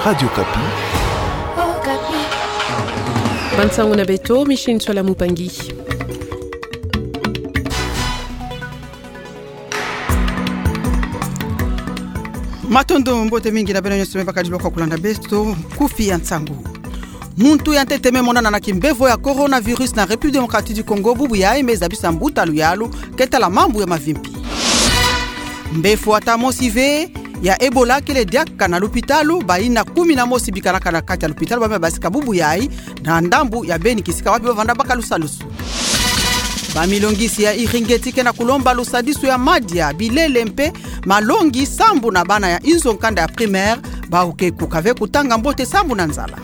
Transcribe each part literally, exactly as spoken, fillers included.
Radio Okapi. Bansango na beto, Micheline Tsoala Mupangi. Matondo, mbote mingi na beno nyonso me bakadi lwaka kulanda beto, kufi ya nsangu. Muntu ya ntete me monana na kimbevo ya coronavirus na République Démocratique du Congo, bubu yayi me zabisa mbuta luyalu, keta la mambu ya mavimpi. Mbefo ata mosi ve ya Ebola kele diaka na lupitalu, bayina kumi na mosi bikanaka na kati ya lupitalu, ba me basika bubu yayi na ndambu ya Beni kisika wapi bavanda baka lusalusu. Bamilongisi ya Iringeti ke na kulomba lusadisu ya madia, bilele mpe malongi sambu na bana ya inzo nkanda ya primaire, bawu ke kuka ve kutanga mbote sambu na nzala.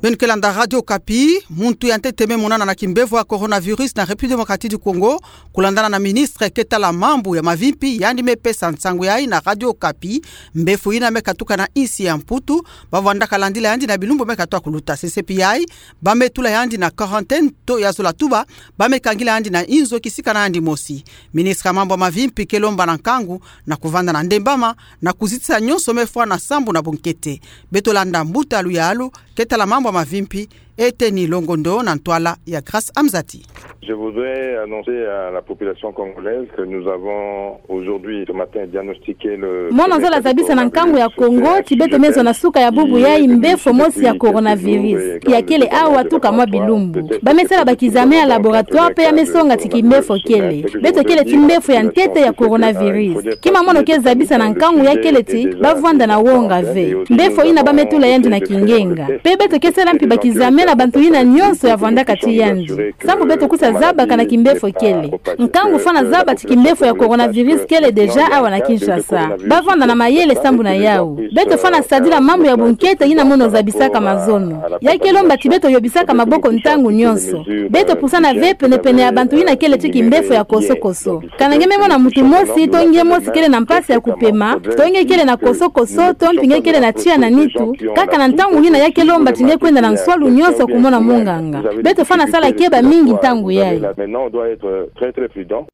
Beno ke landa Radio Okapi. Muntu ya ntete me monana na kimbevo ya coronavirus na République Démocratique du Congo, kulandana na ministre keta la mambu ya mavimpi, yandi me pesa nsangu yayi na Radio Okapi. Mbefo yina me katuka na insi ya Mputu, bavanda kalandila yandi na bilumbu me katoa kuluta. Sesepi yayi, ba me tula yandi na quarantaine to ya zola tuba, ba me kangila yandi na inzo kisika na yandi mosi. Ministre ya mambu ya mavimpi ke lomba na nkangu na kuvanda na ndembama na kuzitisa nyonso me fwana sambu na bunkete. Beto landa mbuta luyalu, keta la mambu ya mavimpi, Eteni Longondo na ntwala ya Grâce Amzati. Je voudrais annoncer à la population congolaise que nous avons aujourd'hui, ce matin, diagnostiqué le premier cas de coronavirus. Mono zola zabisa na nkangu ya Kongo ti beto me zwa na suka ya bubu yayi mbefo mosi ya coronavirus ya kele awa tuka mwa bilumbu. Ba me sala bakizame ya laboratoire mpe ya me songa ti kimbefo kele. Beto kele ti mbefo ya ntete ya coronavirus. Kima mono ke zabisa na nkangu ya kele ti bavwanda na wonga ve. Mbefo yina ba me tula yandi na kingenga. Mpe beto ke sala mpi bakizame na bantu yina nyonso ya vwandaka ti yandi. Sambu beto kusa zabaka na kimbefo kele. Nkangu fwana zaba ti kimbefo ya coronavirus kele déjà awa na Kinshasa. Bavwanda na mayele sambu na yawu. Beto fwana sadila mambu ya bunkete yina mono zabisaka mazono. Ya ke lomba ti beto yobisaka maboko ntangu nyonso. Beto pusana ve penepene ya bantu yina kele ti kimbefo ya kosokoso. Kana nge me mona muntu mosi, to nge mosi kele na mpasi ya kupema, to nge kele na kosokoso, to mpi nge kele na tiya na nitu, kaka na ntangu yina ya ke lomba ti nge kwenda na nswalu nyonso kumona munganga. Beto fwana sala keba mingi ntangu yayi. Maintenant, on doit être très, très prudent.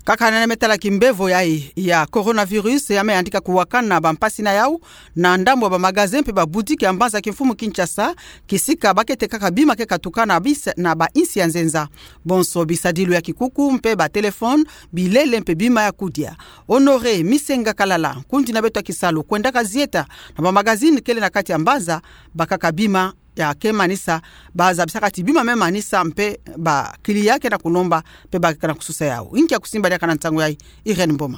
Kaka na yandi me tala kimbevo yayi ya coronavirus, ya me yandika kuwakana bampasi na yawu na ndambu ya bamagasin mpe babutiki ya mbanza kimfumu Kinshasa, kisika ba ke tekaka bima ke katuka na bis-, na bainsi ya nzenza. Bonso bisadilu ya kikuku mpe batelefone, bilele mpe bima ya kudia. Honoré Misenga Kalala, nkundi na beto ya kisalu, kwendaka zieta na bamagasin kele na kati ya mbanza, bakaka bima ya ke manisa, ba zabisaka ti bima me manisa mpe ba client ke na kulomba mpe ba ke na kususa yawu. Inki ya kusimba diaka na nsangu yayi, Irène Mboma?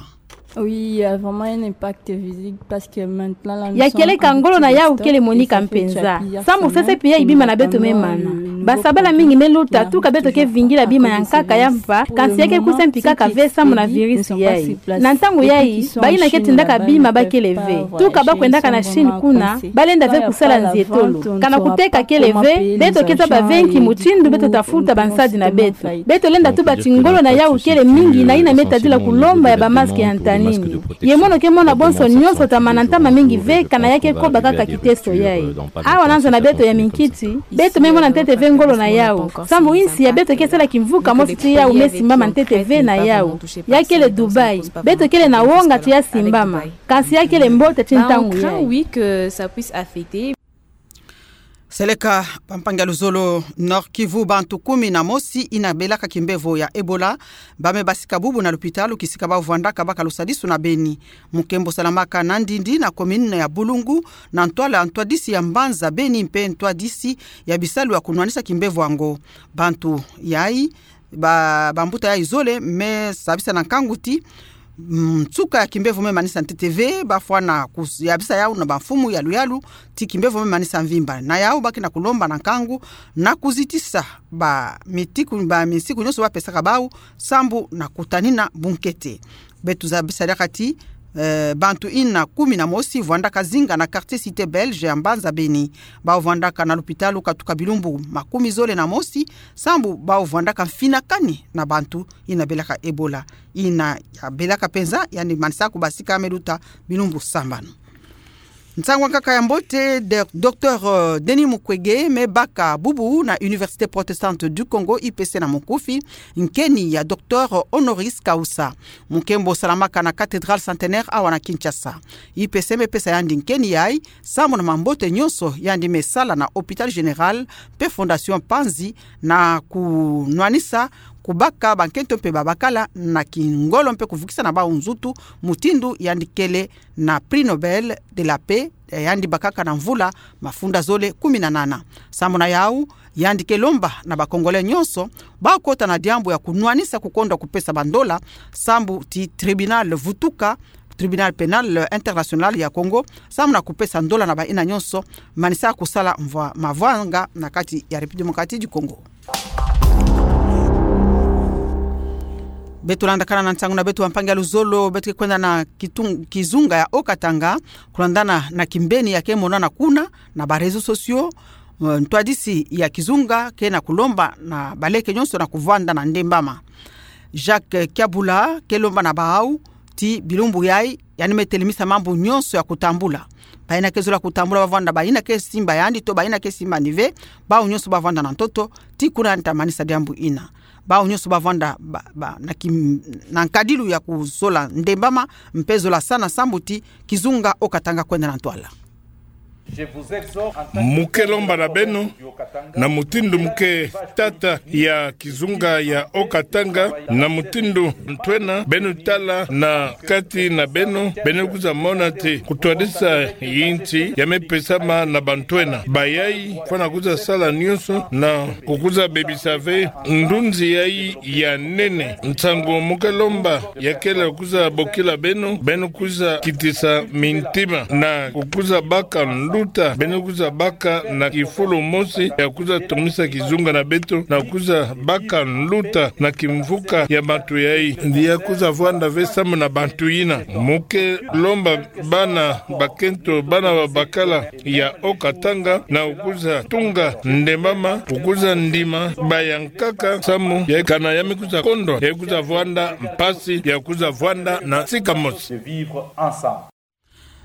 Oui, il y a vraiment un impact visible parce que maintenant, là, nous sommes en victime de stock et ça fait déjà plusieurs semaines que nous, nos corps commencent à se détruire. Ya kieleka ngolo na yawu kele monika mpenza. Sambu sesepi yayi bima na beto me mana. Basabala mingi me luta, tuka beto ke vingila bima ya nkaka ya mpa, kansi ya ke kusa mpi kaka ve sambu na virus yayi. Na ntangu yayi, bayina ke tindaka bima ba kele ve. Tuka ba kwendaka na Chine kuna, ba lenda ve kusala nzietolo. Kana kuteka kele ve, beto ke zaba ve nki mutindu beto ta futa bansadi na beto. Beto lenda tuba ti ngolo na yawu kele mingi na yina me tadila kulomba ya ba masque ya ntanini. Ye mono ke mona bonso nyonso ta mana ntama mingi ve kana ya ke koba kaka kiteso yayi. Awa na nza na beto ya minkiti, beto me mona ntete ve ngolo na yawu. Sambu insi ya beto ke sala kimvuka mosi ti yawu me simbama ntete ve na yawu. Ya kele Dubaï. Beto kele na wonga ti ya simbama. Kansi ya kele mbote ti ntangu yayi. Seleka bampangi ya luzolo Nord-Kivu, bantu kumi na mosi yina belaka kimbevo ya Ebola ba me basika bubu na lupitalu kisika ba vwandaka baka lusadisu na Beni. Mu nkembo salamaka na Ndindi na commune ya Bulungu, na ntwala ntwadisi ya mbanza Beni mpe ntwadisi ya bisalu ya kunwanisa kimbevo yango. Bantu yayi, ba, bambuta yayi zole me sabisa na nkangu ti, mm, nsuka ya kimbevo me manisa ntete ve, ba fwana kus-, yabisa yawu na bamfumu ya luyalu ti kimbevo me manisa mvimba. Na yawu ba ke na kulomba na nkangu na kuzitisa ba mitiku, ba minsiku nyonso ba pesaka bawu sambu na kutanina bunkete. Beto zabisa diaka ti, eh, bantu yina kumi na mosi vwandaka zinga na quartier Cité Belge ya mbanza Beni. Bawu vwandaka na lupitalu katuka bilumbu makumi zole na mosi, sambu bawu vwandaka mfinakani na bantu yina belaka Ebola. Yina ya belaka mpenza, yandi manisa kubasika me luta bilumbu sambanu. Nsangu ya nkaka ya mbote, de-, Docteur, euh, Denis Mukwege, me baka bubu na Université Protestante du Congo, I P C na mukufi, nkeni ya Docteur honoris causa. Mu nkembo salamaka na Cathédrale Centenaire awa na Kinshasa. I P C me pesa yandi nkeni yayi, sambu na mambote nyonso yandi me sala na Hôpital Général, mpe Fondation Panzi, na kunwanisa, kubaka bankento mpe babakala na kingolo mpe kuvukisa na bawu nzutu, mutindu yandi kele na Prix Nobel de la Paix, eh, yandi bakaka na mvula mafunda zole kumi na nana. Sambu na yawu, yandi ke lomba na ba Congolais nyonso, bakota na diambu ya kunwanisa kukondwa kupesa bandola, sambu ti tribunal vutuka, Tribunal Pénal International ya Congo, sambu na kupesa ndola na bayina nyonso, manisa kusala mvwa-, mavwanga na kati ya République Démocratique du Congo. Beto landakana na nsangu na beto, bampangi ya luzolo, beto ke kwenda na kitung-, kizunga ya Haut-Katanga, kulandana na kimbeni ya ke monana kuna, na ba réseaux sociaux, eh, ntwadisi ya kizunga ke na kulomba na baleke nyonso na kuvwanda na ndembama. Jacques Kiabula ke lomba na bawu, ti bilumbu yayi, yandi me telemisa mambu nyonso ya kutambula. Bayina ke zola kutambula bavwanda, bayina ke simba yandi to bayina ke simba ni ve, bawu nyonso bavwanda na ntoto, ti kuna yandi ta manisa diambu yina. Bawu nyonso bavwanda ba, ba, na kim-, na nkadilu ya kuzola ndembama, mpe zola sana sambu ti kizunga Haut-Katanga kwenda na ntwala. Mu ke lomba na beno, na mutindu mu ke tata ya kizunga ya Haut-Katanga, na mutindu bantwena, beno tala na kati na beno, beno kwiza mona ti kutwadisa yinsi ya me pesama na bantwena. Bayayi, fwana kwiza sala nyonso na kukwiza bebisa ve ndunzi yayi ya nene. Nsangu mu ke lomba ya kele kwiza bokila beno, beno kwiza kitisa mintima na kukwiza baka nluta, beno kwiza baka na kifulu mosi ya kwiza tomisa kizunga na beto, na kwiza baka nluta na kimvuka ya bantu yayi. Ndi ya kwiza vwanda ve sambu na bantu yina. Mu ke lomba bana bakento, bana babakala ya Haut-Katanga, na kukwiza tunga ndembama, kukwiza ndima bayankaka sambu ya kana ya me kwiza kondwa, ya kwiza vwanda mpasi, ya kwiza vwanda na sika mosi.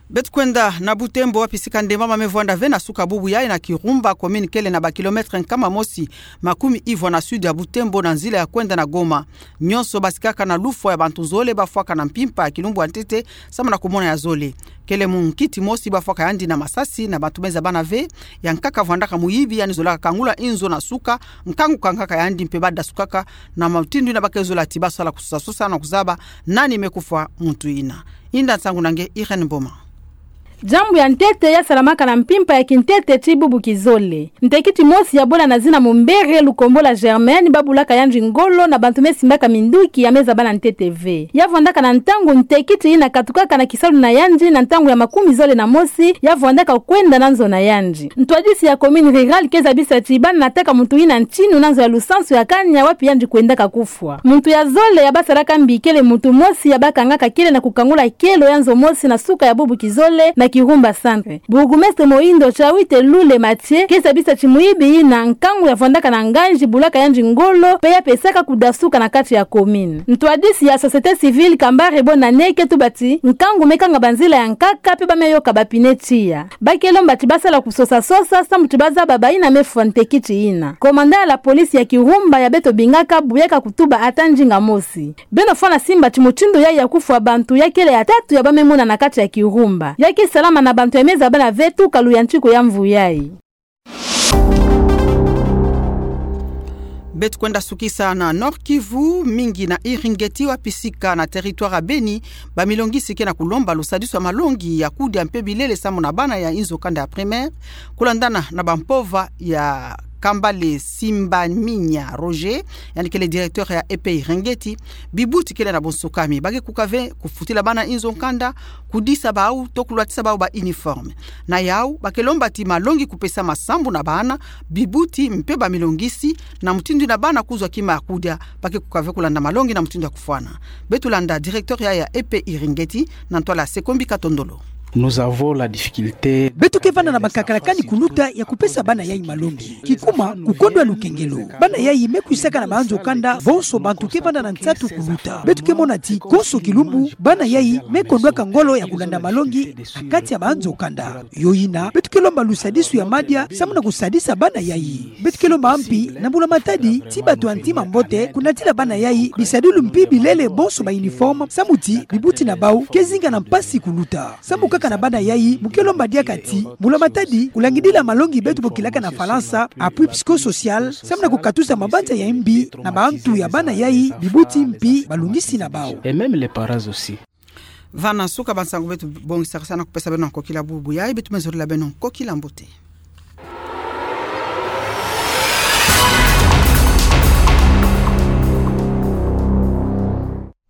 Beto kwenda na Butembo, wapi sika ndembama me vwanda ve na suka bubu yayi na Kirumba, commune kele na ba kilomètre nkama mosi makumi ivwa na sud ya Butembo, na nzila ya kwenda na Goma. Nyonso basikaka na lufwa ya bantu zole bafwaka na mpimpa ya kilumbu ya ntete, sambu na kumona ya zole. Kele munkiti mosi bafwaka yandi na masasi, na bantu me zabana ve, ya nkaka vwandaka muyibi, yandi zolaka kangula inzo na suka, nkangu kangaka yandi mpe badasukaka, na mutindu yina ba ke zola ti basala kusosa-sosa na kuzaba nani me kufwa muntu yina. Inda nsangu na nge Irène Mboma. Diambu ya ntete ya salamaka na mpimpa ya kintete ti bubu kizole. Ntekiti mosi ya bwela na zina Mumbere, lukombo la Germaine, babulaka yandi ngolo na bantu me simbaka minduki ya me zabana ntete ve. Ya vwandaka na ntangu ntekiti yina katukaka na kisalu na yandi na ntangu ya makumi zole na mosi, ya vwandaka kwenda na nzo na yandi. Ntwadisi ya commune rurale ke zabisa ti bana nataka muntu yina ntinu na nzo ya lusansu ya kanya wapi yandi kwendaka kufwa. Muntu ya zole ya basalaka mbi kele muntu mosi ya bakangaka kele na kukangula kielo ya nzo mosi na suka ya bubu kizole na Kirumba Centre. Bourgmestre Mohindo Chawite Lule Mathieu ke zabisa ti muyibi yina nkangu ya vwandaka na nganzi bulaka yandi ngolo mpe ya pesaka kudasuka na kati ya commune. Ntwadisi ya société civile Kambare Bonane ke tuba ti nkangu me kanga banzila ya nkaka mpe ba me yoka bapine tiya. Ba ke lomba ti basala kusosa-sosa sambu ti bazaba bayina me fwa ntekiti yina. Commandant ya la police ya Kirumba ya beto bingaka buyaka kutuba ata ndinga mosi. Beno fwana simba ti mutindu yayi ya kufwa bantu ya kele ya tatu ya ba me mona na kati ya Kirumba. Ya ke salama na bantu ya me zabana ve tuka luyantiku ya mvu yayi. Beto kwenda sukisa na Nord-Kivu, mingi na Iringeti, wapi sika na territoire ya Beni, bamilongisi ke na kulomba lusadisu ya malongi ya kudia mpe bilele sambu na bana ya inzo kanda ya primaire, kulandana na bampova ya Kambale Simbaminya Roger, yandi kele directeur ya E P Iringeti. Bibuti kele na bonsukami. Ba ke kuka ve kufutila bana inzo nkanda, kudisa bawu, to kulwatisa bawu ba uniforme. Na yawu, ba ke lomba ti malongi kupesama sambu na bana, bibuti mpe bamilongisi, na mutindu yina bana kuzwa kima ya kudia, ba ke kuka ve kulanda malongi na mutindu ya kufwana. Beto landa directeur ya, ya E P Iringeti, na ntwala Sekombi Katondolo. Nous avons la difficulté. Beto ke vanda na bakakala kani kuluta ya kupesa bana yayi malongi. Kikuma, kukondwa lukengelo. Bana yayi me kwisaka na maanzo kanda, bonso bantu ke vanda na nsatu kuluta. Beto ke mona ti, konso kilumbu, bana yayi me kondwaka ngolo ya kulanda malongi na kati ya maanzo kanda. Yo yina, beto ke lomba lusadisu ya madia, samu na kusadisa bana yayi. Beto ke lomba mpi na mbula matadi ti bato ya ntima mbote, kunatila bana yayi, bisadilu mpi bilele bonso ba uniforme, samu ti bibuti na bau ke zinga na mpasi kuluta. Samu kaka na bana yayi, mu ke lomba diaka ti mbula matadi, kulangidila malongi beto bokilaka na Falansa appui psychosocial, samu na kukatusa mabanza ya mbi na bantu ya bana yayi, bibuti mpi balungisi na bau. Et même les parents aussi. Vana suka ba nsangu beto bongisaka sa na kupesa beno na nkokila bubu yayi, beto me zolila beno nkokila mbote.